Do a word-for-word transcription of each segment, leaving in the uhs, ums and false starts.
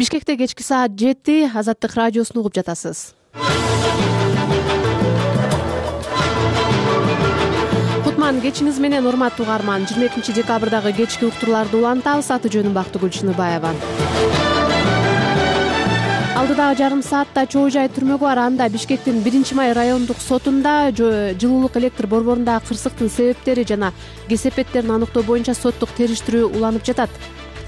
Бишкекте кечки саат жети, Азаттык радиосун угуп жатасыз. Кутман кечиңиз менен, урматтуу угарман. жыйырма экинчи декабрдагы кечки уктурларды улантабыз. Аты жөнүм Бактыгүл Чыныбаева. Алдыдагы жарым саатта чоо жай түрмөгү бар. Анда Бишкектин биринчи май райондук сотунда жылуулук электр борборундагы кырсыктын себептери жана кесепеттерин аныктоо боюнча соттук териштирүү уланып жатат.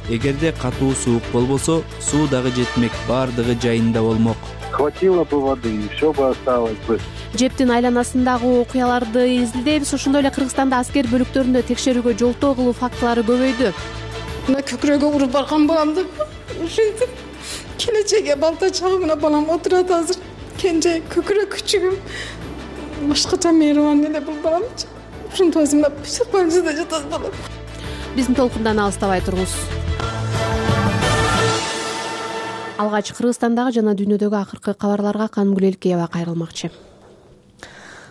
Эгерде катуу суук болбосо, суу дагы жетмек, баардыгы жайында болмок. Хватило бы воды, и все бы осталось бы. Жептин айланасындагы окуяларды изилдейбиз. Ошондой эле Кыргызстанда аскер бөлүктөрүндө текшерүүгө жолтоо кылуу фактылары көбөйдү. Мына көкүрөгү уруп барган баламды ушинтип келечекке балта чагымына балам отурат азыр. Кенже көкүрөк күчүгүм башкача мейрибан эле бул балам. Ушинтип өзүмө психбольницада жатат балам. Биздин толкундан алыстабай туруңуз. Алгач Кыргызстандагы жана дүйнөдөгү акыркы кабарларга Канымгүл Элкеева кайрылмакчы.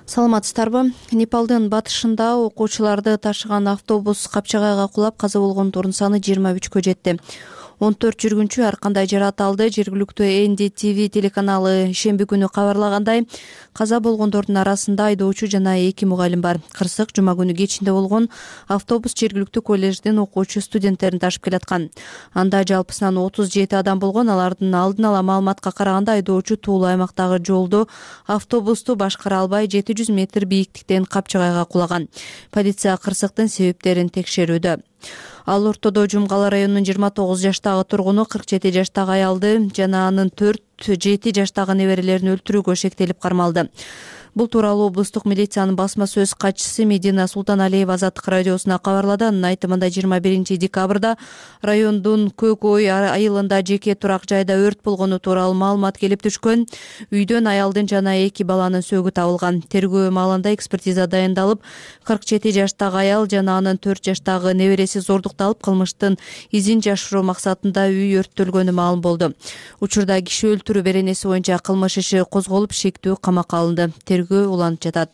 Саламатсыздарбы? Непалдын батышында окуучуларды ташыган автобус Капчагайга кулап каза болгондордун саны жыйырма үчкө жетти. он төрт жүргүнчү ар кандай жаракат алды. Жергиликтүү Эн Ди Ти Ви телеканалы шемби күнү кабарлагандай, каза болгондордун арасында айдоочу жана эки мугалим бар. Кырсык жума күнү кечинде болгон. Автобус жергиликтүү коллеждин окуучу студенттерин ташып келаткан. Анда жалпысынан отуз жети адам болгон. Алардын алдын ала маалыматка караганда айдоочу туулуу аймактагы жолдо автобусту башкара албай жети жүз метр бийиктиктен Капчагайга кулаган. Полиция кырсыктын себептерин текшерүүдө. Ал ортодо Жумгала районунун жыйырма тогуз жаштагы тургуну кырк жети жаштагы аялды жана анын төрт жети жаштагы неберелерин өлтүрүүгө шектелип кармалды. Бул тууралуу облустук милициянын басма сөз катчысы Медина Султаналиева Азаттык радиосуна кабарлады. Анын айтымында жыйырма биринчи декабрда райондун Көк Ой айылында жеке турак жайда өрт болгону тууралуу маалымат келип түшкөн. Үйдөн аялдын жана эки баланын сөөгү табылган. Тергөө маалында экспертиза дайындалып, кырк жети жаштагы аял жана анын төрт жаштагы небереси зордукталып, кылмыштын изин жашыруу максатында үй өрттөлгөнү маалым болду. Учурда киши өлтүрүү беренеси боюнча кылмыш иши козголуп, шектүү камакка алынды. Уланып жатат.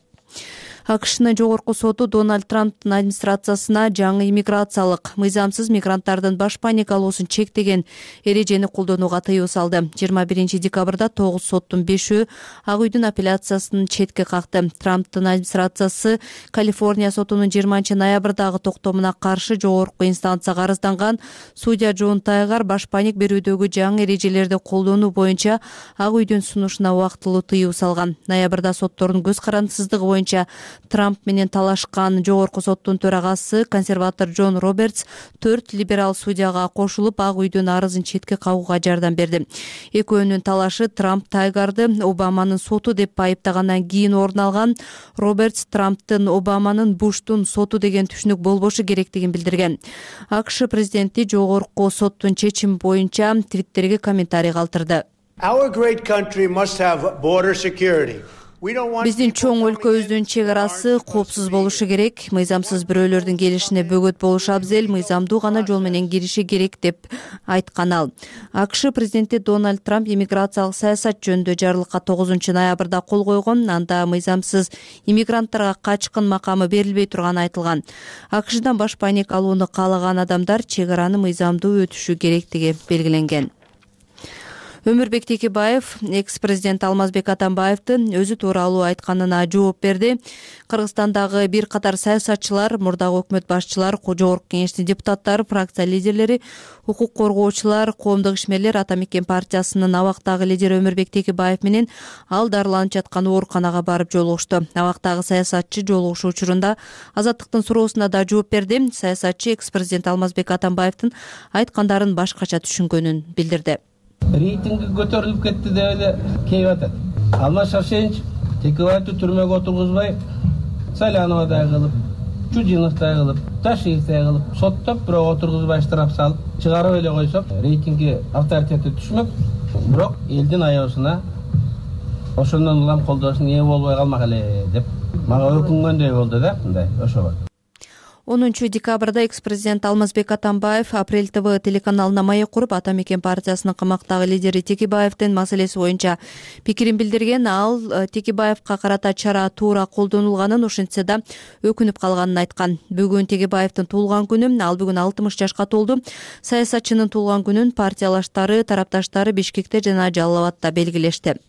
АКШнын жогорку соту Дональд Трамптын администрациясына жаңы иммиграциялык мыйзамсыз мигранттардын баш паникалоосун чектеген эрежени колдонууга тыюу салды. жыйырма биринчи декабрда тогуз соттун бешөө Ак үйдүн апелляциясын четке какты. Трамптын администрациясы Калифорния сотунун жыйырманчы ноябрдагы токтомуна каршы жогорку инстанцияга арызданган. Судья Джон Тайгар баш паник берүүдөгү жаңы эрежелерди колдонуу боюнча Ак үйдүн сунушуна убактылуу тыюу салган. Ноябрда соттордун көз карандысыздыгы боюнча Трамп менен талашкан жогорку соттун төрагасы консерватор Джон Робертс төрт либерал судьяга кошулуп Ак үйдүн арызын четке кагууга жардам берди. Экөөнүн талашы Трамп Тайгарды Обаманын соту деп айыптагандан кийин орун алган. Робертс Трамптын Обаманын Буштун соту деген түшүнүк болбошу керектигин билдирген. АКШ президенти жогорку соттун чечими боюнча Твиттерге комментарий калтырды. Our great country must have border security. Биздин чоң өлкөбүздүн чек арасы коопсуз болушу керек. Мыйзамсыз бирөөлөрдүн келишине бөгөт болушу абзел, мыйзамдуу гана жол менен кириши керек деп айткан ал. АКШ президенти Дональд Трамп иммиграциялык саясат жөнүндө жарлыкка тогузунчу ноябрда кол койгон. Анда мыйзамсыз иммигранттарга качкын макамы берилбей турганы айтылган. АКШдан баш паник алууну каалаган адамдар чек араны мыйзамдуу өтүшү керектиги белгиленген. Өмүрбек Текебаев экс-президент Алмазбек Атамбаевдин өзү тууралуу айтканына жооп берди. Кыргызстандагы бир катар саясатчылар, мурдагы өкмөт башчылар, жогорку кеңештин депутаттары, фракция лидерлери, укук коргоочулар, коомдук ишмерлер Ата Мекен партиясынын абактагы лидери Өмүрбек Текебаев менен ал дарыланып жаткан ооруканага барып жолугушту. Абактагы саясатчы жолугушуу учурунда Азаттыктын суроосуна да жооп берди. Саясатчы экс-президент Алмазбек Атамбаевдин айткандарын башкача түшүнгөнүн билдирди. Рейтинги көтөрүлүп кетти деп эле кейип атат. Алмаз Шаршенич Текебаевди түрмөгө отургузбай, Саляновдай кылып, Чудиновдай кылып, Ташиевдай кылып соттоп, бирок отургузбай штраф салып, чыгарып эле койсок, рейтинги авторитети түшмөк. Бирок элдин аябысына ошондон улам колдоосуна ээ болбой калмак эле деп мага өкүнгөндөй болду да, мындай ошого. онунчу декабрда экс-президент Алмазбек Атамбаев Апрель ТВ телеканалына маек куруп, Ата Мекен партиясынын камактагы лидери Текебаевдин маселеси боюнча пикирин билдирген. Ал Текебаевка карата чара туура колдонулганын, ошентсе да өкүнүп калганын айткан. Бүгүн Текебаевдин туулган күнү, ал бүгүн алтымыш жашка толду. Саясатчынын туулган күнүн партиялаштары, тарапташтары Бишкекте жана Жалал Абадта белгилешти.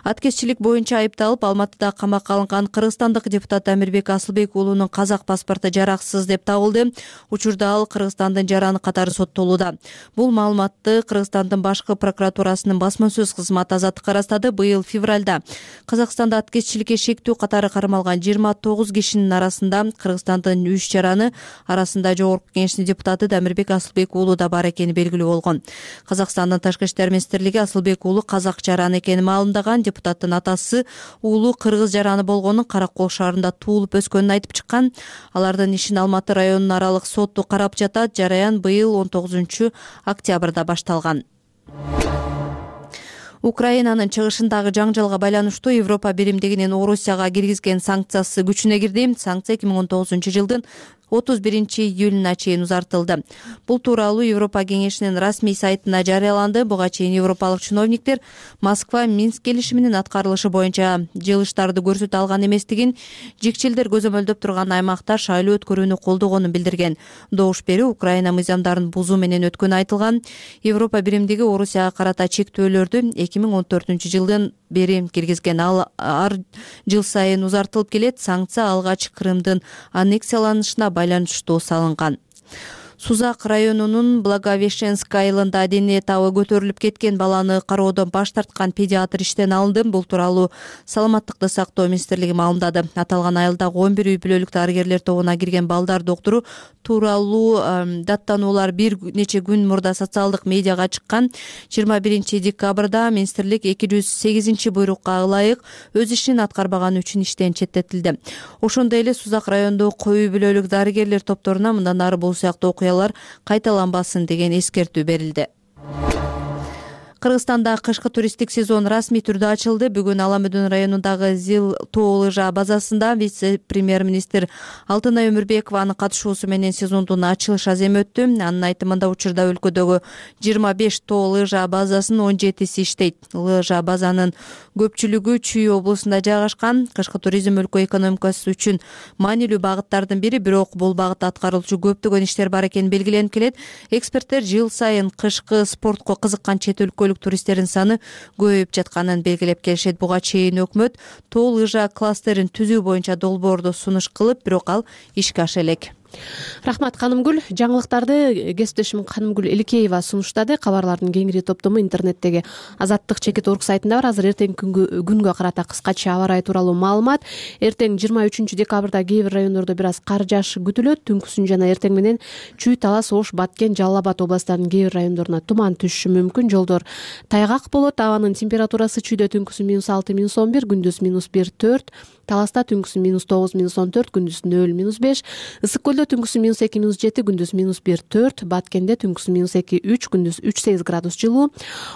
Аткезчилик боюнча айыпталып Алматыда камакка алынган кыргызстандык депутат Амирбек Асылбек уулунун казак паспорту жараксыз деп табылды. Учурда ал Кыргызстандын жараны катары соттолууда. Бул маалыматты Кыргызстандын башкы прокуратурасынын басма сөз кызматы Азаттыкка ырастады. Быйыл февралда Казакстанда аткезчиликке шектүү катары кармалган жыйырма тогуз кишинин арасында Кыргызстандын үч жараны арасында Жогорку Кеңештин депутаты Амирбек Асылбек уулу да бар экени белгилүү болгон. Казакстандын Ташкы иштер министрлиги Асылбек уулу казак жараны экенин маалымдаган. Депутаттын атасы уулу кыргыз жараны болгонун, Каракол шаарында туулуп өскөнүн айтып чыккан. Алардын ишин Алматы районунун аралык соту карап жатат. Жараян быйыл он тогузунчу октябрда башталган. Украинанын чыгышындагы жаңжалга байланыштуу Европа биримдигинин Орусияга киргизген санкциясы күчүнө кирди. Санкция эки миң он тогузунчу жылдын отуз биринчи июлуна чейин узартылды. Бул тууралуу Европа кеңешинин расмий сайтына жарыяланды. Буга чейин европалык чиновниктер Москва Минск келишиминин аткарылышы боюнча жылыштарды көрсөтө алган эместигин, жикчилдер көзөмөлдөп турган аймакта шайлоо өткөрүүнү колдогонун билдирген. Добуш бери Украина мыйзамдарын бузуу менен өткөнү айтылган. Европа биримдиги Орусияга карата чектөөлөрдү эки миң он төртүнчү жылдан бери киргизген. Ал ар жыл сайын узартылып келет. Санкция алгач Крымдын аннексияланышына байланыштуу салынган. Сузак районунун Благовещенск айылында дене табы көтөрүлүп кеткен баланы кароодон баш тарткан педиатр иштен алынды. Бул тууралуу Саламаттыкты сактоо министрлиги маалымдады. Аталган айылдагы он бир үй бүлөлүк дарыгерлер тобуна кирген балдар доктору тууралуу даттануулар бир нече күн мурда социалдык медиага чыккан. жыйырма биринчи декабрда министрлик эки жүз сегизинчи буйрукка ылайык өз ишин аткарбаганы үчүн иштен четтетилди. Ошондой эле Сузак районундагы үй бүлөлүк дарыгерлер топторуна мындан ары бул сыяктуу окуялар кайталанбасын деген эскертүү берилди. Кыргызстанда кышкы туристтик сезон расмий түрдө ачылды. Бүгүн Ала Мөдөн районундагы Зил тоо лыжа базасында вице-премьер-министр Алтынай Өмүрбекованын катышуусу менен сезондун ачылыш аземи өттү. Анын айтымында учурда өлкөдөгү жыйырма беш тоо лыжа базасынын он жетиси иштейт. Лыжа базанын көпчүлүгү Чүй облусунда жайгашкан. Кышкы туризм өлкө экономикасы үчүн маанилүү багыттардын бири, бирок бул багытта аткарылчу көптөгөн иштер бар экени белгиленип келет. Эксперттер жыл сайын кышкы спортко кызыккан чет өлкөлүк туристтердин саны көбөйүп жатканын белгилеп келишет. Буга чейин өкмөт тоо лыжа кластерин түзүү боюнча долбоорду сунуш кылып, бирок ал ишке аша элек. Рахмат Канымгүл. Жаңылыктарды кесиптешим Канымгүл Эликеева сунуштады. Кабарлардын кеңири топтому интернеттеги азаттык чекит точка орг сайтында бар. Азыр эртең күнгө күнгө карата кыскача аба ырайы тууралуу маалымат. Эртең жыйырма үчүнчү декабрда кээ бир райондордо бир аз кар жаашы күтүлөт. Түнкүсүн жана эртең менен Чүй, Талас, Ош, Баткен, Жалал Абад областарынын кээ бир райондоруна туман түшүшү мүмкүн. Жолдор тайгак болот. Абанын температурасы Чүйдө түнкүсүн минус алты, минус он бир, күндүз минус бир, төрт, Таласта түнкүсүн минус тогуз, минус он төрт, күндүз нөл, минус беш, Ысык көлдө түнкүсүн минус эки, минус жети, күндүз минус бир, төрт, Баткенде түнкүсүн минус эки, үч, күндүз үч, сегиз градус жылуу.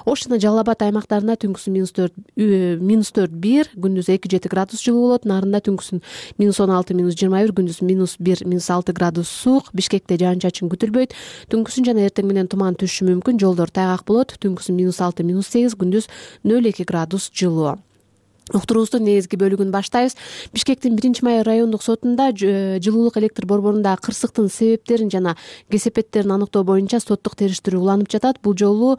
Ош жана Жалал Абад аймактарында түнкүсүн минус төрт, минус төрт, бир, күндүз эки, жети градус жылуу болот. Нарында түнкүсүн минус он алты, минус жыйырма бир, күндүз минус бир, минус алты градус суук. Бишкекте жаан-чачын күтүлбөйт. Түнкүсүн жана эртең менен туман түшүшү мүмкүн. Жолдор тайгак болот. Түнкүсүн минус алты, минус сегиз, күндүз нөл эки градус жылуу. Уктуруубуздун негизги бөлүгүн баштайбыз. Бишкектин биринчи май райондук сотунда жылуулук электр борборундагы кырсыктын себептерин жана кесепеттерин аныктоо боюнча соттук териштирүү уланып жатат. Бул жолу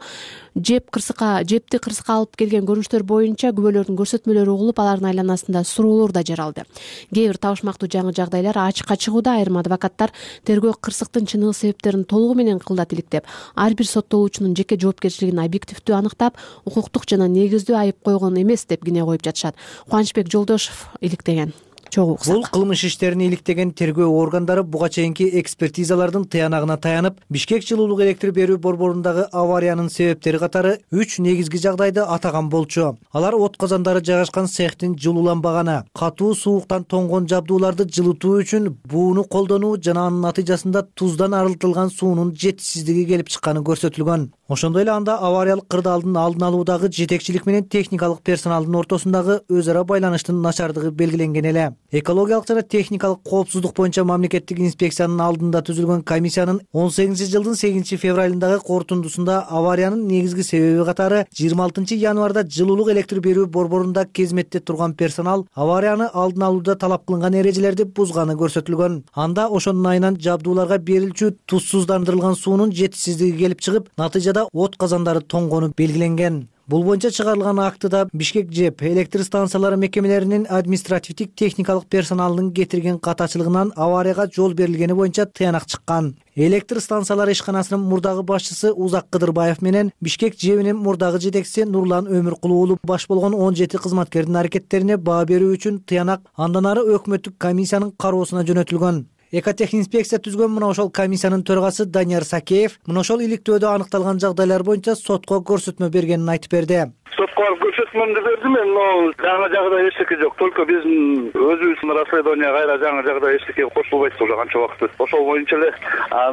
жеп кырсыкка жепти кырсыкка алып келген көрүнүштөр боюнча күбөлөрдүн көрсөтмөлөрү угулуп, алардын айланасында суроолор да жаралды. Кээ бир табышмактуу жаңы жагдайлар ачыкка чыгууда. Айрым адвокаттар тергөө кырсыктын чыныгы себептерин толугу менен кылдат иликтеп, ар бир соттолуучунун жеке жоопкерчилигин объективдүү аныктап, укуктук жана негиздүү айып койгон эмес деп кине коюп жатышат. Кубанычбек Жолдошов иликтеген. Бул кылмыш иштерин иликтеген тергөө органдары буга чейинки экспертизалардын тыянагына таянып, Бишкек жылуулук электр берүү борборундагы авариянын себептери катары үч негизги жагдайды атаган болчу. Алар от казандары жайгашкан цехтин жылууланбаганы, катуу сууктан тоңгон жабдууларды жылытуу үчүн бууну колдонуу жана анын натыйжасында туздан арылтылган суунун жетишсиздиги келип чыкканы көрсөтүлгөн. Ошондой эле анда авариялык кырдаалдын алдын алуудагы жетекчилик менен техникалык персоналдын ортосундагы өз ара байланыштын начардыгы белгиленген эле. Экологиялык жана техникалык коопсуздук боюнча мамлекеттик инспекциянын алдында түзүлгөн комиссиянын он сегизинчи жылдын сегизинчи февралындагы корутундусунда авариянын негизги себеби катары жыйырма алтынчы январда жылуулук электр берүү борборунда кызметте турган персонал аварияны алдын алууда талап кылынган эрежелерди бузганы көрсөтүлгөн. Анда ошонун айынан жабдууларга берилчү тузсуздандырылган суунун жетишсиздиги келип чыгып, натыйжада от казандары тоңгону белгиленген. Бул боюнча чыгарылган актыда Бишкек ЖЭП электр станциялары мекемелеринин административдик техникалык персоналынын кетирген катачылыгынан аварияга жол берилгени боюнча тыянак чыккан. Электр станциялары ишканасынын мурдагы башчысы Узак Кыдырбаев менен Бишкек ЖЭПинин мурдагы жетекчиси Нурлан Өмүркулуу уулу баш болгон он жети кызматкердин аракеттерине баа берүү үчүн тыянак андан ары өкмөттүк комиссиянын кароосуна жөнөтүлгөн. Экотехинспекция түзгөн мына ошол комиссиянын төрагасы Данияр Сакеев мына ошол иликтөөдө аныкталган жагдайлар боюнча сотко көрсөтмө бергенин айтып берди. Сотко барып көрсөтмөмдү бердим мен, но жаңы жагдай эчтеке жок. Только биздин өзүбүздүн расследование кайра жаңы жагдай эчтеке кошулбайт уже канча убакыт. Ошол боюнча эле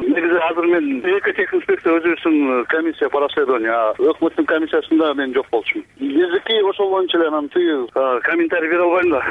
негизи азыр мен экотехинспекция өзүбүздүн комиссия по расследованию, өкмөттүн комиссиясында мен жок болчумун. Эзеки ошол боюнча эле анан тиги комментарий бере албайм да.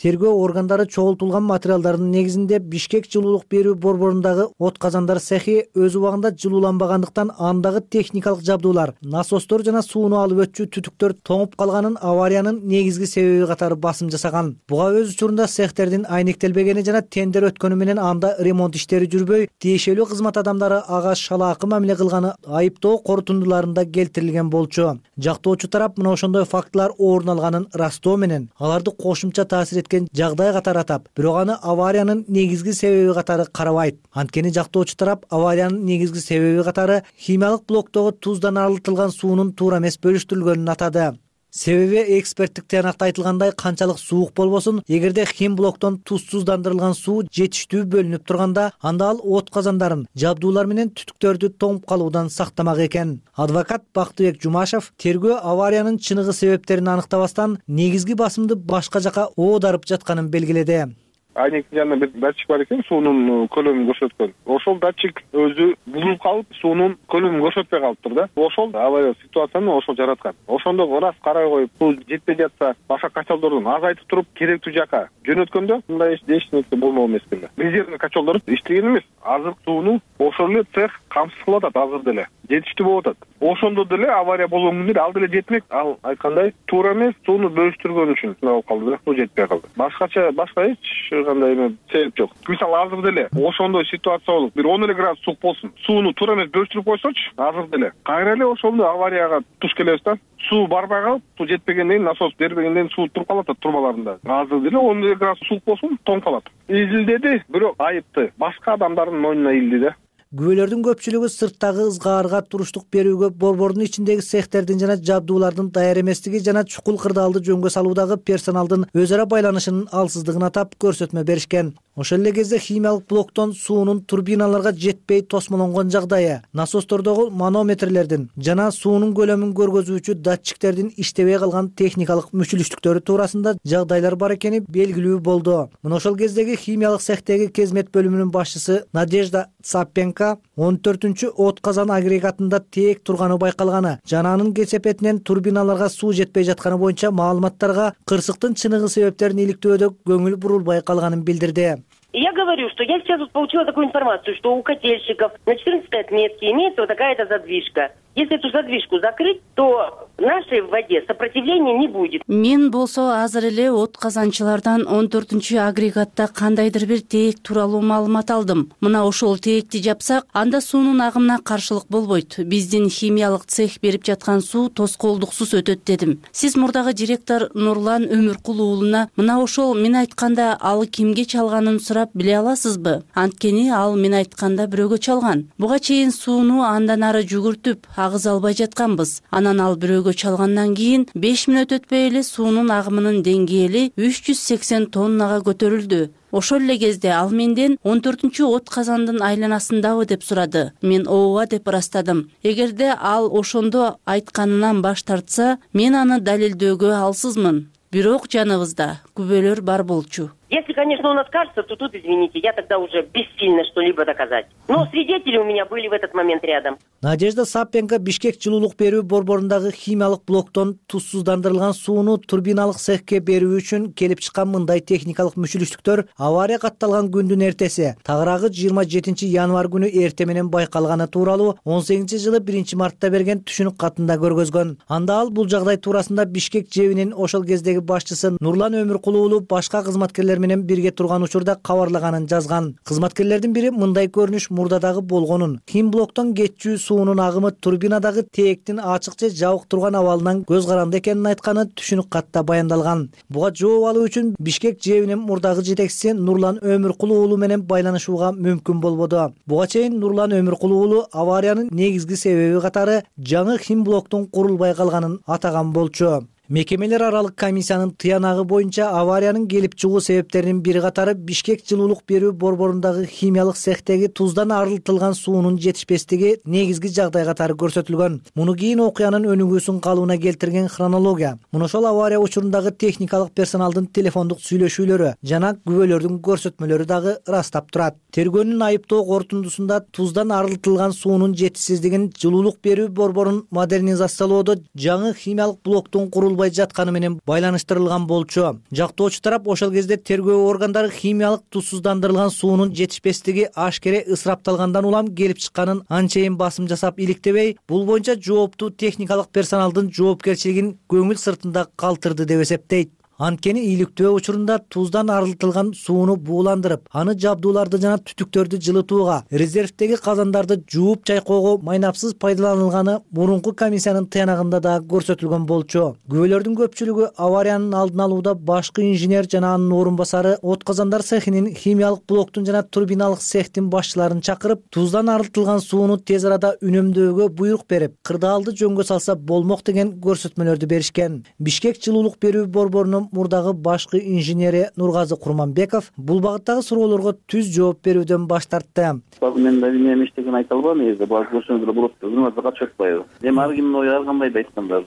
Тергөө органдары чогултулган материалдардын негизинде Бишкек жылуулук берүү борборундагы от казандар цехи өз убагында жылууланбагандыктан андагы техникалык жабдуулар, насостор жана сууну алып өтчү түтүктөр тоңуп калганын авариянын негизги себеби катары басым жасаган. Буга өз учурунда цехтердин айнектелбегени жана тендер өткөнү менен анда ремонт иштери жүрбөй, тиешелүү кызмат адамдары ага шалаакы мамиле кылганы айыптоо корутундуларында келтирилген болчу. Жактоочу тарап мына ошондой фактылар орун алганын ырастоо менен аларды кошумча таасир эткен жагдай катары атап, бирок аны авариянын негизги себеби катары карабайт. Анткени жактоочу тарап авариянын негизги себеби катары химиялык блоктогу туздан арылтылган суунун туура эмес бөлүштүрүлгөнүн атады. Себеби эксперттик тыянакта айтылгандай канчалык суук болбосун, эгерде хим блоктон тузсуздандырылган суу жетиштүү бөлүнүп турганда, анда ал от казандарын, жабдуулар менен түтүктөрдү тоңуп калуудан сактамак экен. Адвокат Бактыбек Жумашев тергөө авариянын чыныгы себептерин аныктабастан негизги басымды башка жака оодарып жатканын белгиледи. Айнектин жанында бир датчик бар экен, суунун көлөмүн көрсөткөн. Ошол датчик өзү бузулуп калып, суунун көлөмүн көрсөтпөй калыптыр да. Ошол авария ситуацияны ошол жараткан. Ошондо ырас карай коюп, суу жетпей жатса, башка качалдордун азайтып туруп, керектүү жака жөнөткөндө мындай эч нерсе болмок эмес экен. Резервный качалдор иштеген эмес. Азыр сууну ошол эле цех камсыз кылып атат азыр деле. Жетиштүү болуп атат. Ошондо деле авария болгон күндө ал деле жетмек. Ал айткандай туура эмес сууну бөлүштүргөн үчүн болуп калды да. Суу жетпей калды. Башкача башка эч кандай эме себеп жок. Мисалы азыр деле ошондой ситуация болуп, бир он эле градус суук болсун, сууну туура эмес бөлүштүрүп койсочу, азыр деле кайра эле ошондой аварияга туш келебиз да. Суу барбай калып, суу жетпегенден кийин насос бербегенден суу туруп калат трубаларында. Азыр деле он эле градус суук болсун, тоңуп калат. Изилдеди, бирок айыпты башка адамдардын мойнуна илди да. Күбөлөрдүн көпчүлүгү сырттагы ызгаарга туруштук берүүгө, борбордун ичиндеги цехтердин жана жабдуулардын даяр эместиги жана чукул кырдаалды жөнгө салуудагы персоналдын өз ара байланышынын алсыздыгын атап көрсөтмө беришкен. Ошол эле кезде химиялык блоктон суунун турбиналарга жетпей тосмолонгон жагдайы, насостордогу манометрлердин жана суунун көлөмүн көргөзүүчү датчиктердин иштебей калган техникалык мүчүлүштүктөрү туурасында жагдайлар бар экени белгилүү болду. Мына ошол кездеги химиялык цехтеги кезмет бөлүмүнүн башчысы Надежда Цапенко он төртүнчү от казан агрегатында тээк турганы байкалганы жана анын кесепетинен турбиналарга суу жетпей жатканы боюнча маалыматтарга кырсыктын чыныгы себептерин иликтөөдө көңүл бурулбай калганын билдирди. Я говорю, что я сейчас вот получила такую информацию, что у котельщиков на четырнадцатой отметке имеется вот такая-то задвижка. Если эту задвижку закрыть, то нашей в воде сопротивления не будет. Мен болсо азыр эле от казанчылардан он төртүнчү агрегатта кандайдыр бир тээк тууралуу маалымат алдым. Мына ошол тээкти жапсак, анда суунун агымына каршылык болбойт. Биздин химиялык цех берип жаткан суу тоскоолдуксуз өтөт дедим. Сиз мурдагы директор Нурлан Өмүркулуу уулуна мына ошол мен айтканда ал кимге чалганын сурап биле аласызбы? Анткени ал мен айтканда бирөөгө чалган. Буга чейин сууну андан ары жүгүртүп агыз албай жатканбыз. Анан ал бирөөгө чалгандан кийин беш мүнөт өтпөй эле суунун агымынын деңгээли үч жүз сексен тоннага көтөрүлдү. Ошол эле кезде ал менден он төртүнчү от казандын айланасындабы деп сурады. Мен ооба деп ырастадым. Эгерде ал ошондо айтканынан баш тартса, мен аны далилдөөгө алсызмын. Бирок жаныбызда күбөлөр бар болчу. Если, конечно, он откажется, то тут, извините, я тогда уже бессильна что-либо доказать. Но свидетели у меня были в этот момент рядом. Надежда Сапенко Бишкек жылуулук берүү борборундагы химиялык блоктон тузсуздандырылган сууну турбиналык цехке берүү үчүн келип чыккан мындай техникалык мүчүлүштүктөр авария катталган күндүн эртеси, тагыраагы жыйырма жетинчи январь күнү эрте менен байкалганы тууралуу он сегизинчи жылы биринчи мартта берген түшүнүк катында көргөзгөн. Анда ал бул жагдай туурасында Бишкек ЖЭБинин ошол кездеги башчысы Нурлан Өмүркулуу уулу башка кызматкерлер менен бирге турган учурда кабарлаганын жазган. Кызматкерлердин бири мындай көрүнүш мурдадагы болгонун, хим блоктон кетчү суунун агымы турбинадагы тээктин ачык же жабык турган абалынан көз каранды экенин айтканы түшүнүк катта баяндалган. Буга жооп алуу үчүн Бишкек ЖЭБинин мурдагы жетекчиси Нурлан Өмүркулуу уулу менен байланышууга мүмкүн болбоду. Буга чейин Нурлан Өмүркулуу уулу авариянын негизги себеби катары жаңы хим блоктун курулбай калганын атаган болчу. Мекемелер аралык комиссиянын тыянагы боюнча авариянын келип чыгуу себептеринин бири катары Бишкек жылуулук берүү борборундагы химиялык цехтеги туздан арылтылган суунун жетишпестиги негизги жагдай катары көрсөтүлгөн. Муну кийин окуянын өнүгүүсүн калыбына келтирген хронология, муну ошол авария учурундагы техникалык персоналдын телефондук сүйлөшүүлөрү жана күбөлөрдүн көрсөтмөлөрү дагы ырастап турат. Тергөөнүн айыптоо корутундусунда туздан арылтылган суунун жетишсиздигин жылуулук берүү борборун модернизациялоодо жаңы химиялык блоктун курулбай жатканы менен байланыштырылган болчу. Жактоочу тарап ошол кезде тергөө органдары химиялык тузсуздандырылган суунун жетишпестиги ашкере ысырапталгандан улам келип чыкканын анчейин басым жасап иликтебей, бул боюнча жооптуу техникалык персоналдын жоопкерчилигин көңүл сыртында калтырды деп эсептейт. Анткени иликтөө учурунда туздан арылтылган сууну бууландырып, аны жабдууларды жана түтүктөрдү жылытууга, резервдеги казандарды жууп чайкоого майнапсыз пайдаланылганы мурунку комиссиянын тыянагында да көрсөтүлгөн болчу. Күбөлөрдүн көпчүлүгү авариянын алдын алууда башкы инженер жана анын орун басары от казандар цехинин химиялык блоктун жана турбиналык цехтин башчыларын чакырып, туздан арылтылган сууну тез арада үнөмдөөгө буйрук берип, кырдаалды жөнгө салса болмок деген көрсөтмөлөрдү беришкен. Бишкек жылуулук берүү борборунун мурдагы башкы инженери Нургазы Курманбеков бул багыттагы суроолорго түз жооп берүүдөн баш тартты. Мен да эмне иштеген айта албайм, эже баары көрсөңүздөр болот. Өзүңөр катышып атпайбы? Эми ар кимдин ою ар кандай да айтканда,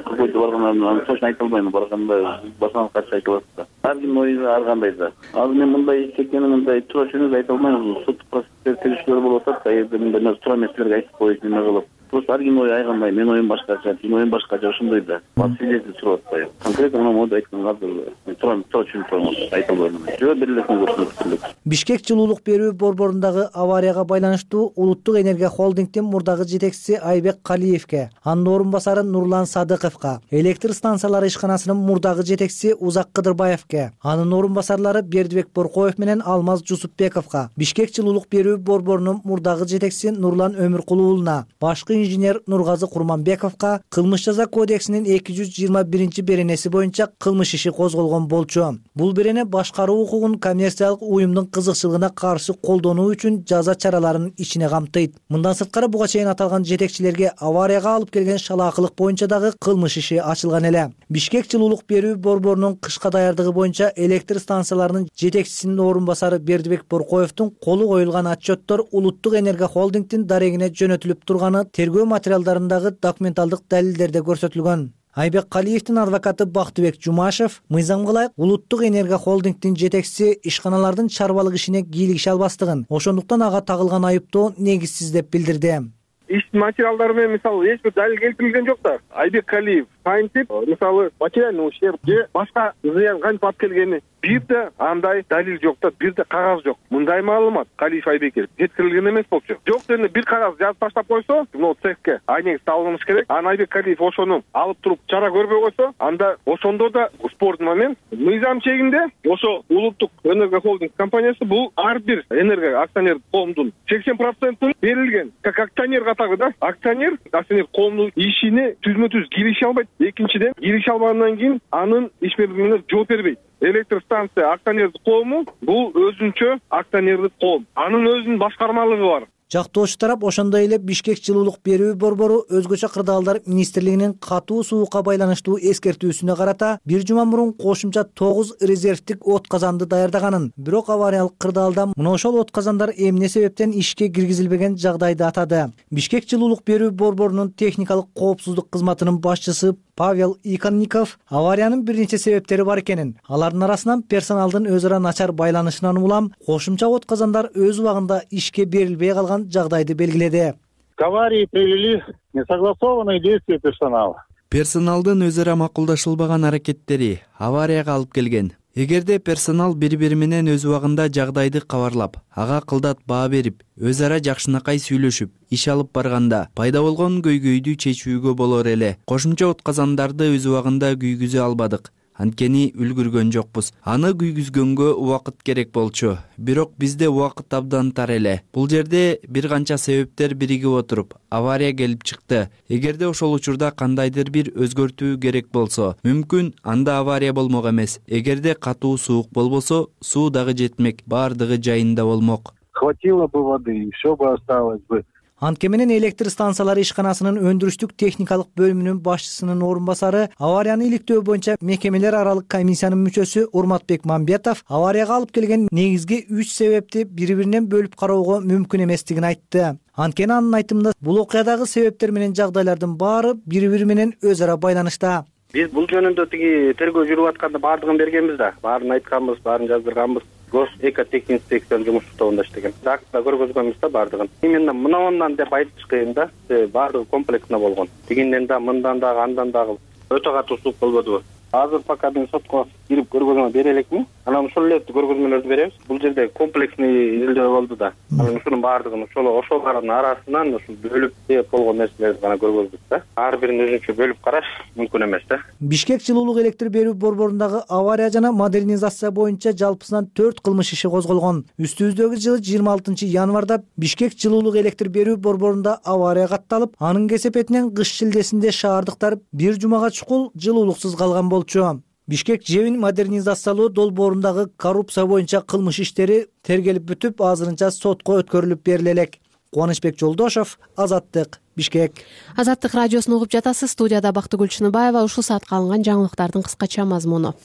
койду баргандан аны точно айта албайм, барганда башынан качып айтып атат. Ар кимдин ою ар кандай да. Азыр мен мындай чекени мындай туура чөнөз айта албайм. Соттук процесстер териштирүү болуп атат, эми мындай туура эместерди айтып коюп неме кылып. Просто ар кимдин ою ай кандай, менин оюм башкача, сенин оюң башкача, ошондой да. Свидетель сурап атпайбы? Конкретно мына моду айткан азыр туура туура чөнөп турам, айта албайм. Жөө берилесин көрсөтүп. Бишкек жылуулук берүү борборундагы аварияга байланыштуу Улуттук энергия холдингдин мурдагы жетекчиси Айбек Калиевке, анын орун басары Нурлан Садыковго, электр станциялары ишканасынын мурдагы жетекчиси Узак Кыдырбаевке, анын орун басарлары Бердибек Боркоев менен Алмаз Жусупбековго, Бишкек жылуулук берүү борборунун мурдагы жетекчиси Нурлан Өмүркулууна, башкы инженер Нургазы Курманбековго кылмыш жаза кодексинин эки жүз жыйырма биринчи беренеси боюнча кылмыш иши козголгон болчу. Бул берене башкаруу укугун коммерциялык уюмдун кызыкчылыгына каршы колдонуу үчүн жаза чараларын ичине камтыйт. Мындан сырткары буга чейин аталган жетекчилерге аварияга алып келген шалаакылык боюнча дагы кылмыш иши ачылган эле. Бишкек жылуулук берүү борборунун кышка даярдыгы боюнча электр станцияларынын жетекчисинин орун басары Бердибек Боркоевдун колу коюлган отчеттор Улуттук энергия холдингдин дарегине жөнөтүлүп турганы тергөө материалдарындагы документалдык далилдерде көрсөтүлгөн. Айбек Калиевдин адвокаты Бактыбек Жумашев мыйзам кылайык Улуттук энергия холдингдин жетекчиси ишканалардын чарбалык ишине кийлигише албастыгын, ошондуктан ага тагылган айыптоо негизсиз деп билдирди. Иш материалдары менен мисалы эч бир далил келтирилген жок да. Айбек Калиев кантип мисалы материальный ущерб же башка зыян кантип алып келгени бир да андай далил жок да, бир да кагаз жок. Мындай маалымат Калиев Айбекке жеткирилген эмес болчу. Жок дегенде бир кагаз жазып таштап койсо, могу цехке айнек салыныш керек. Анан Айбек Калиев ошону алып туруп чара көрбөй койсо, анда ошондо да спорный момент. Мыйзам чегинде ошо Улуттук энергия холдинг компаниясы бул ар бир энергия акционер коомдун сексен процентин берилген как акционер катары да. Акционер акционер коомдун ишине түзмө-түз киреше албайт. Экинчиден, киреше албагандан кийин анын ишмердиктерине жооп бербейт. Электр станция акционердик коому бул өзүнчө акционердик коом. Анын өзүнүн башкармалыгы бар. Жактоочу тарап ошондой эле Бишкек жылуулук берүү борбору өзгөчө кырдаалдар министрлигинин катуу суукка байланыштуу эскертүүсүнө карата бир жума мурун кошумча тогуз резервдик от казанды даярдаганын, бирок авариялык кырдаалда мына ошол от казандар эмне себептен ишке киргизилбеген жагдайды атады. Бишкек жылуулук берүү борборунун техникалык коопсуздук кызматынын башчысы Павел Иконников авариянын бир нече себептери бар экенин, алардын арасынан персоналдын өзү ара начар байланышынан улам кошумча от казандар өз убагында ишке берилбей калган жагдайды белгиледи. К аварии привели несогласованные действия персонала. Персоналдын өзү ара макулдашылбаган аракеттери аварияга алып келген. Эгерде персонал бири-бири менен өз убагында жагдайды кабарлап, ага кылдат баа берип, өз ара жакшынакай сүйлөшүп, иш алып барганда пайда болгон көйгөйдү чечүүгө болор эле. Кошумча от казандарды өз убагында күйгүзө албадык. Анткени үлгүргөн жокпуз. Аны күйгүзгөнгө убакыт керек болчу. Бирок бизде убакыт абдан тар эле. Бул жерде бир канча себептер биригип отуруп, авария келип чыкты. Эгерде ошол учурда кандайдыр бир өзгөртүү керек болсо, мүмкүн анда авария болмок эмес. Эгерде катуу суук болбосо, суу дагы жетмек, баардыгы жайында болмок. Хватило бы воды, и все бы осталось бы. Антке менен электр станциялары ишканасынын өндүрүштүк техникалык бөлүмүнүн башчысынын орун басары, аварияны иликтөө боюнча мекемелер аралык комиссиянын мүчөсү Урматбек Мамбетов аварияга алып келген негизги үч себепти бири-биринен бөлүп кароого мүмкүн эместигин айтты. Анткени анын айтымында бул окуядагы себептер менен жагдайлардын баары бири-бири менен өз ара байланышта. Биз бул жөнүндө тиги тергөө жүрүп атканда баардыгын бергенбиз да, баарын айтканбыз, баарын жаздырганбыз. Гос экотехинспекциянын жумуш тобунда иштеген. Актта көргөзгөнбүз да баардыгын. Именно мынауунан деп айтыш кыйын да, баардыгы комплексно болгон. Тигинден да, мындан дагы, андан дагы өтө катуу суук болбодубу? Азыр пока мен сотко кирип көргөзмө бере элекмин. Анан ошол эле көргөзмөлөрдү беребиз. Бул жерде комплексный изилдөө болду да. Анан ушунун баардыгын ошол ошолордун арасынан ушул бөлүп деп болгон нерселерди гана көргөздүк да. Ар бирин өзүнчө бөлүп караш мүмкүн эмес да. Бишкек жылуулук электр берүү борборундагы авария жана модернизация боюнча жалпысынан төрт кылмыш иши козголгон. Үстүбүздөгү жылы жыйырма алтынчы январда Бишкек жылуулук электр берүү борборунда авария катталып, анын кесепетинен кыш шилдесинде шаардыктар бир жумага чукул жылуулуксуз калган болчу. Бишкек жебин модернизациялоо долбоорундагы коррупция боюнча кылмыш иштери тергелип бүтүп, азырынча сотко өткөрүлүп бериле элек. Кубанычбек Жолдошов, Азаттык, Бишкек. Азаттык радиосун угуп жатасыз. Студияда Бактыгүл Чыныбаева. Ушул саатка алынган жаңылыктардын кыскача мазмуну.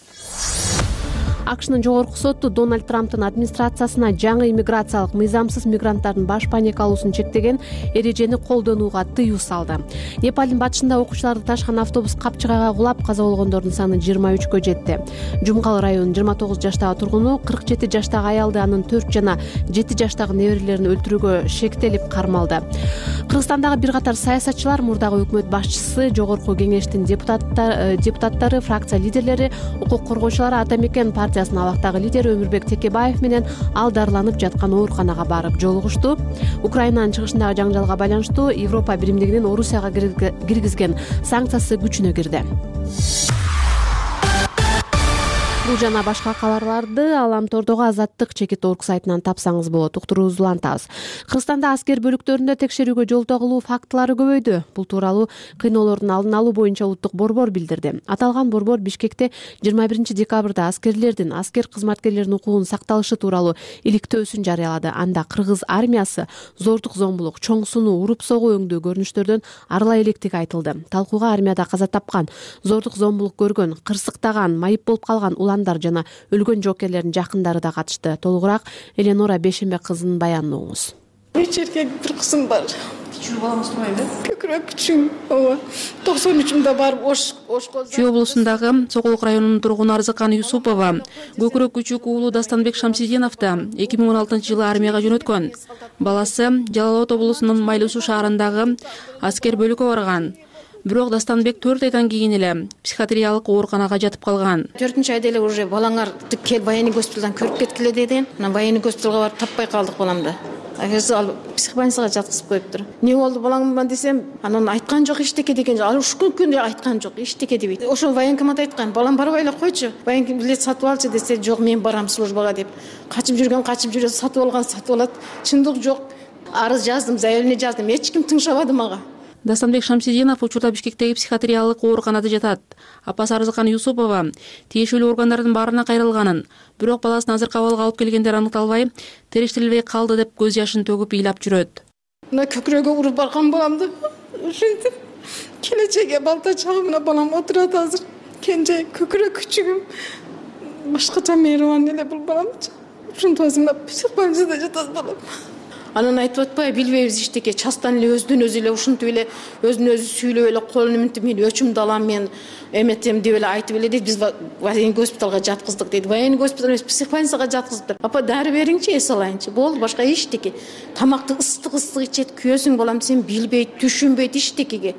АКШнын жогорку соту Дональд Трамптын администрациясына жаңы иммиграциялык мыйзамсыз мигранттардын баш паникалуусун чектеген эрежени колдонууга тыюу салды. Непалдын батышында окуучуларды ташкан автобус капчыгайга кулап, каза болгондордун саны жыйырма үчкө жетти. Жумгал районунун жыйырма тогуз жаштагы тургуну кырк жети жаштагы аялды, анын төрт жана жети жаштагы неберелерин өлтүрүүгө шектелип кармалды. Кыргызстандагы бир катар саясатчылар, мурдагы өкмөт башчысы, жогорку кеңештин депутаттары, фракция лидерлери, укук коргоочулары, Ата Мекен партиясынын абактагы лидери Өмүрбек Текебаев менен ал дарыланып жаткан ооруканага барып жолугушту. Украинанын чыгышындагы жаңжалга байланыштуу Европа биримдигинин Орусияга киргизген санкциясы күчүнө кирди. Бул жана башка кабарларды Аламтордогу Азаттык чекит орг сайтынан тапсаңыз болот. Уктуруубузду улантабыз. Кыргызстанда аскер бөлүктөрүндө текшерүүгө жол тагылуу фактылары көбөйдү. Бул тууралуу кыйноолордун алдын алуу боюнча улуттук борбор билдирди. Аталган борбор Бишкекте жыйырма биринчи декабрда аскерлердин, аскер кызматкерлеринин укугунун сакталышы тууралуу иликтөөсүн жарыялады. Анда кыргыз армиясы зордук зомбулук, чоң сунуу, уруп согуу өңдүү көрүнүштөрдөн арыла электиги айтылды. Талкууга армияда каза тапкан, зордук зомбулук көргөн, кырсыктаган, майып болуп калган уландар жана өлгөн жоокерлердин жакындары да катышты. Толугураак Эленора Бешембек кызынын баянын угуңуз. Үч эркек, бир кызым бар. Кичүү балаңыз турбайбы? Көкүрөк күчүм. ооба. токсон үчүмдө барып ош ошко. Чүй облусундагы Сокулук районунун тургуну Арзыкан Юсупова көкүрөк күчүк уулу Дастанбек Шамсидиновду эки миң он алтынчы жылы армияга жөнөткөн. Баласы Жалал Абад облусунун Майлуу Суу шаарындагы аскер бөлүккө барган. Бирок Дастанбек төрт айдан кийин эле психиатриялык ооруканага жатып калган. төртүнчү айда эле уже балаңар кел военный госпиталдан көрүп кеткиле деген. Анан военный госпиталга барып таппай калдык баламды. Агасы ал психбольницага жаткызып коюптур. Эмне болду балаңма десем, анан айткан жок эчтеке деген. Ал ушул күндө айткан жок эчтеке дебейт. Ошо военкомат айткан, балам барбай эле койчу. Военком билет сатып алчы десе, жок мен барам службага деп. Качып жүргөн качып жүрөт, сатып алган сатып алат. Чындык жок. Арыз жаздым, заявление жаздым. Эч ким тыңшабады мага. Дастанбек Шамсидинов учурда Бишкектеги психиатриялык ооруканада жатат. Апасы Арзыкан Юсупова тиешелүү органдардын баарына кайрылганын, бирок баласын азыркы абалга алып келгендер аныкталбай, териштирилбей калды деп көз жашын төгүп ыйлап жүрөт. Мына көкүрөгү уруп барган баламды ушинтип келечекке балта чагымына балам отурат азыр. Кенже көкүрөк күчүгүм башкача мейрибан эле бул балам. Ушинтип азыр психбольницада жатат балам. Анан айтып атпайбы, билбейбиз иштеке, частан эле өзүнөн өзү эле ушинтип эле өзүнө өзү сүйлөп эле колун минтип мен өчүмдү алам, мен эметем деп эле айтып эле дейт. Биз военный госпиталга жаткыздык дейт. Военный госпиталга эмес, психбольницага жаткыздыптыр. Апа дары бериңчи, эс алайынчы. Болду, башка эчтеке. Тамакты ыстык ыстык ичет, күйөөсүң балам десем билбейт, түшүнбөйт эчтекеге.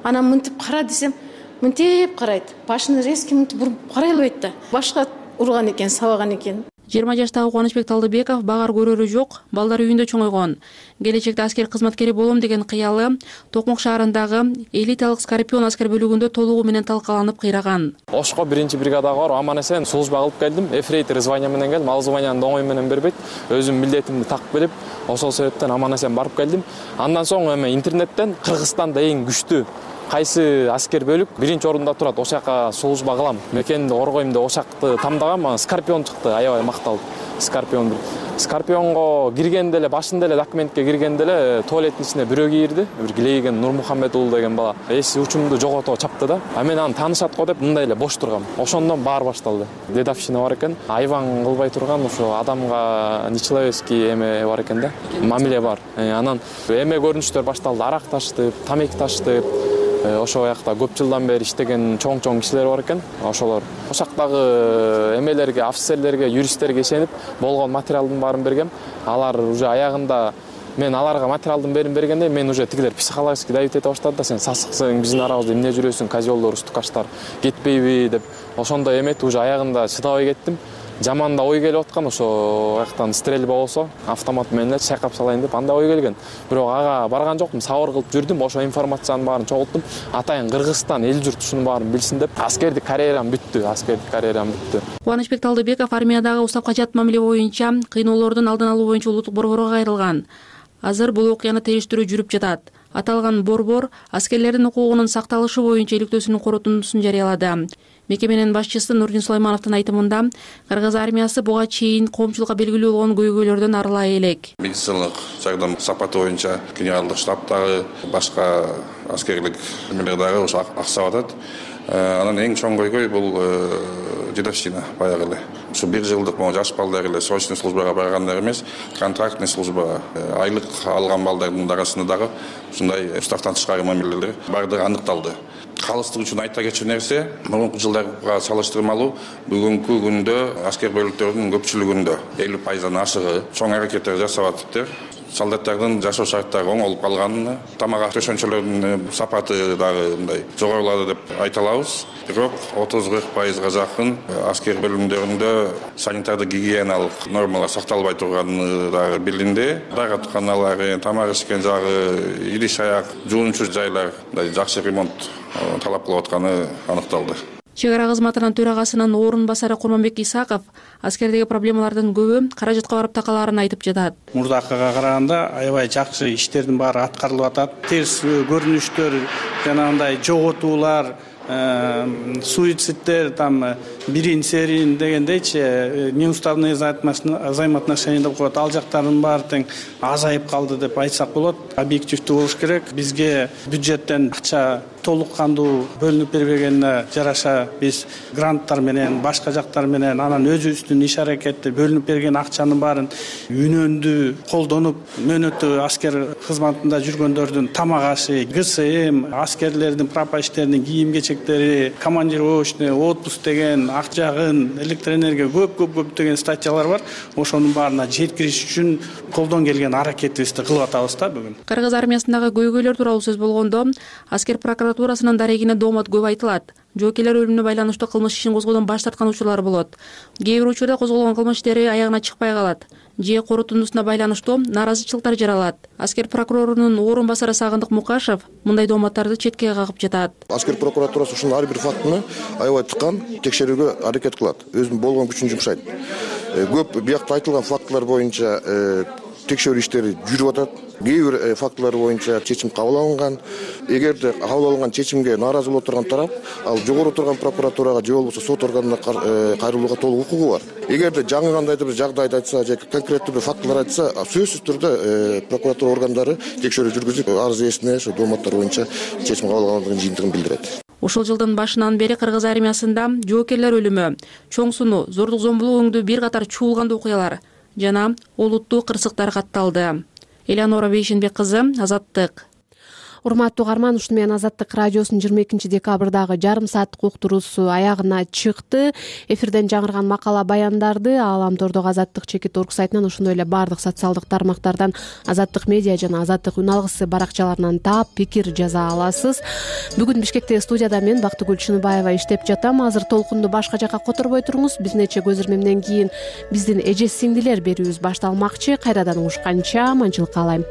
Анан мынтип кара десем, мынтип карайт. Башын резко мынтип буруп карай албайт да. Башка урган экен, сабаган экен. жыйырма жаштагы Кубанычбек Талдыбеков багар көрөрү жок, балдары үйүндө чоңойгон. Келечекте аскер кызматкери болом деген кыялы Токмок шаарындагы элиталык Скорпион аскер бөлүгүндө толугу менен талкаланып кыйраган. Ошко биринчи бригадага барып аман эсен служба кылып келдим. Эфрейтор звания менен келдим. Ал званияны оңой менен бербейт. Өзүм милдетимди такып келип, ошол себептен аман эсен барып келдим. Андан соң эми интернеттен Кыргызстанда эң күчтүү кайсы аскер бөлүк биринчи орунда турат, ошол жака служба кылам, мекенди коргойм деп ошакты тамдагам. Скорпион чыкты, аябай макталып. Скорпион. Скорпионго киргенде эле, башында эле документке киргенде эле туалеттин ичине бирөө кирди. Бир Гилейген Нурмухаммед уулу деген бала. Эси учумду жогото чапты да. А мен аны таанышат го деп мындай эле бош тургам. Ошондон баары башталды. Дедовщина бар экен. Айван кылбай турган, ошо адамга нечеловецкий эме бар экен да. Мамиле бар. Анан эме көрүнүштөр башталды. Арак ташытып, тамеки ташытып. Ошол жакта көп жылдан бери иштеген чоң-чоң кишилер бар экен. Ошолор ошактагы эмелерге, офицерлерге, юристтерге ишенип болгон материалдын баарын бергем. Алар уже аягында мен аларга материалдын бээрин бергенде мен уже тигилер психологически давить эте баштады да, сен сасыксың, биздин арабызда эмне жүрөсүң, козёлдор, устукаштар кетпейби деп. Ошондой эметип уже аягында чыдабай кеттим. Жаман да ой келип аткан, ошо аяктан стрельба болсо автомат менен эле чайкап салайын деп андай ой келген. Бирок ага барган жокмун, сабыр кылып жүрдүм. Ошо информациянын баарын чогулттум. Атайын Кыргызстан эл журт ушунун баарын билсин деп. Аскердик карьерам бүттү, аскердик карьерам бүттү. Кубанычбек Талдыбеков армиядагы устапка жат мамиле боюнча кыйноолордун алдын алуу боюнча улуттук борборго кайрылган. Азыр бул окуяны териштирүү жүрүп жатат. Аталган борбор аскерлердин укугунун сакталышы боюнча иликтөөсүнүн корутундусун жарыялады. Мекеменин башчысы Нурдин Сулаймановдун айтымында, Кыргыз армиясы буга чейин коомчулукка белгилүү болгон көйгөйлөрдөн арылай элек. Медициналык жардам сапаты боюнча генералдык штабтагы башка аскерлик эмелер дагы ошо аксап атат. Анан эң чоң көйгөй бул дедовщина баягы эле. Ушу бир жылдык могу жаш балдар эле срочный службага баргандар эмес, контрактный службага айлык алган балдардын арасында дагы ушундай уставтан тышкары мамилелер бардыгы аныкталды. Калыстык үчүн айта кетчү нерсе, мурунку жылдарга салыштырмалуу бүгүнкү күндө аскер бөлүктөрүнүн көпчүлүгүндө элүү пайыздан ашыгы чоң аракеттер жасап атыптыр. Солдаттардын жашоо шарттары оңолуп калган, тамак төшөнчөлөрдүн сапаты дагы мындай жогорулады деп айта алабыз. Бирок отуз кырк пайызга жакын аскер бөлүмдөрүндө санитардык гигиеналык нормалар сакталбай турганы дагы билинди. Дааратканалар, тамак ишкен жагы, идиш аяк, жуунчу жайлар жакшы ремонт талап кылып атканы аныкталды. Чек ара кызматынын төрагасынын орун басары Курманбек Исаков аскердеги проблемалардын көбү каражатка барып такалаарын айтып жатат. Мурдакыга караганда аябай жакшы иштердин баары аткарылып атат. Терс көрүнүштөр, жанагындай жоготуулар, суицидтер, там бирин серин дегендейчи неуставные взаимоотношения деп коет. Ал жактардын баары тең азайып калды деп айтсак болот. Объективдүү болуш керек. Бизге бюджеттен акча толук кандуу бөлүнүп бербегенине жараша биз гранттар менен, башка жактар менен анан өзүбүздүн иш аракетти бөлүнүп берген акчанын баарын үнөндүү колдонуп, мөөнөттүү аскер кызматында жүргөндөрдүн тамак ашы, ГСМ, аскерлердин прапорщиктердин кийим кечектери, командировочный, отпуск деген, ак жагын, электроэнергия көп-көп деген статьялар бар. Ошонун баарына жеткириш үчүн колдон келген аракетибизди кылып атабыз да бүгүн. Кыргыз армиясындагы көйгөйлөр тууралуу сөз болгондо, аскер прокуратурасынын дарегине доомат көп айтылат. Жоокерлер өлүмүнө байланыштуу кылмыш ишин козгоодон баш тарткан учурлар болот. Кээ бир учурда козголгон кылмыш иштери аягына чыкпай калат. Же корутундусуна байланыштуу нааразычылыктар жаралат. Аскер прокурорунун орун басары Сагындык Мукашев мындай дооматтарды четке кагып жатат. Аскер прокуратурасы ушул ар бир фактыны аябай тыккан текшерүүгө аракет кылат. Өзүнүн болгон күчүн жумшайт. Көп биякта айтылган фактылар боюнча текшерүү иштери жүрүп атат. Кээ бир фактылар боюнча чечим кабыл алынган. Эгерде кабыл алынган чечимге нааразы боло турган тарап, ал жогору турган прокуратурага же болбосо сот органына кайрылууга толук укугу бар. Эгерде жаңы кандайдыр бир жагдайды айтса же конкреттүү бир фактылар айтса, сөзсүз түрдө прокуратура органдары текшерүү жүргүзүп, арыз ээсине ошо дооматтар боюнча чечим кабыл алгандыгын жыйынтыгын билдирет. Ушул жылдын башынан бери Кыргыз армиясында жоокерлер өлүмү, чоң сунуу, зордук зомбулук өңдүү бир катар чуулгандуу окуялар жана олуттуу кырсыктар катталды. Элеонора Бейшенбек кызы, Азаттык. Урматтуу угарман, ушуну менен Азаттык радиосунун жыйырма экинчи декабрдагы жарым сааттык уктуруусу аягына чыкты. Эфирден жаңырган макала баяндарды Ааламтордогу Азаттык чекит орг сайтынан, ошондой эле баардык социалдык тармактардан, Азаттык медиа жана Азаттык үн алгысы баракчаларынан таап, пикир жаза аласыз. Бүгүн Бишкектеги студияда мен Бактыгүл Чыныбаева иштеп жатам. Азыр толкунду башка жака которбой туруңуз. Биз нече көз ирмемден кийин биздин эже сиңдилер берүүбүз башталмакчы. Кайрадан угушканча аманчылык каалайм.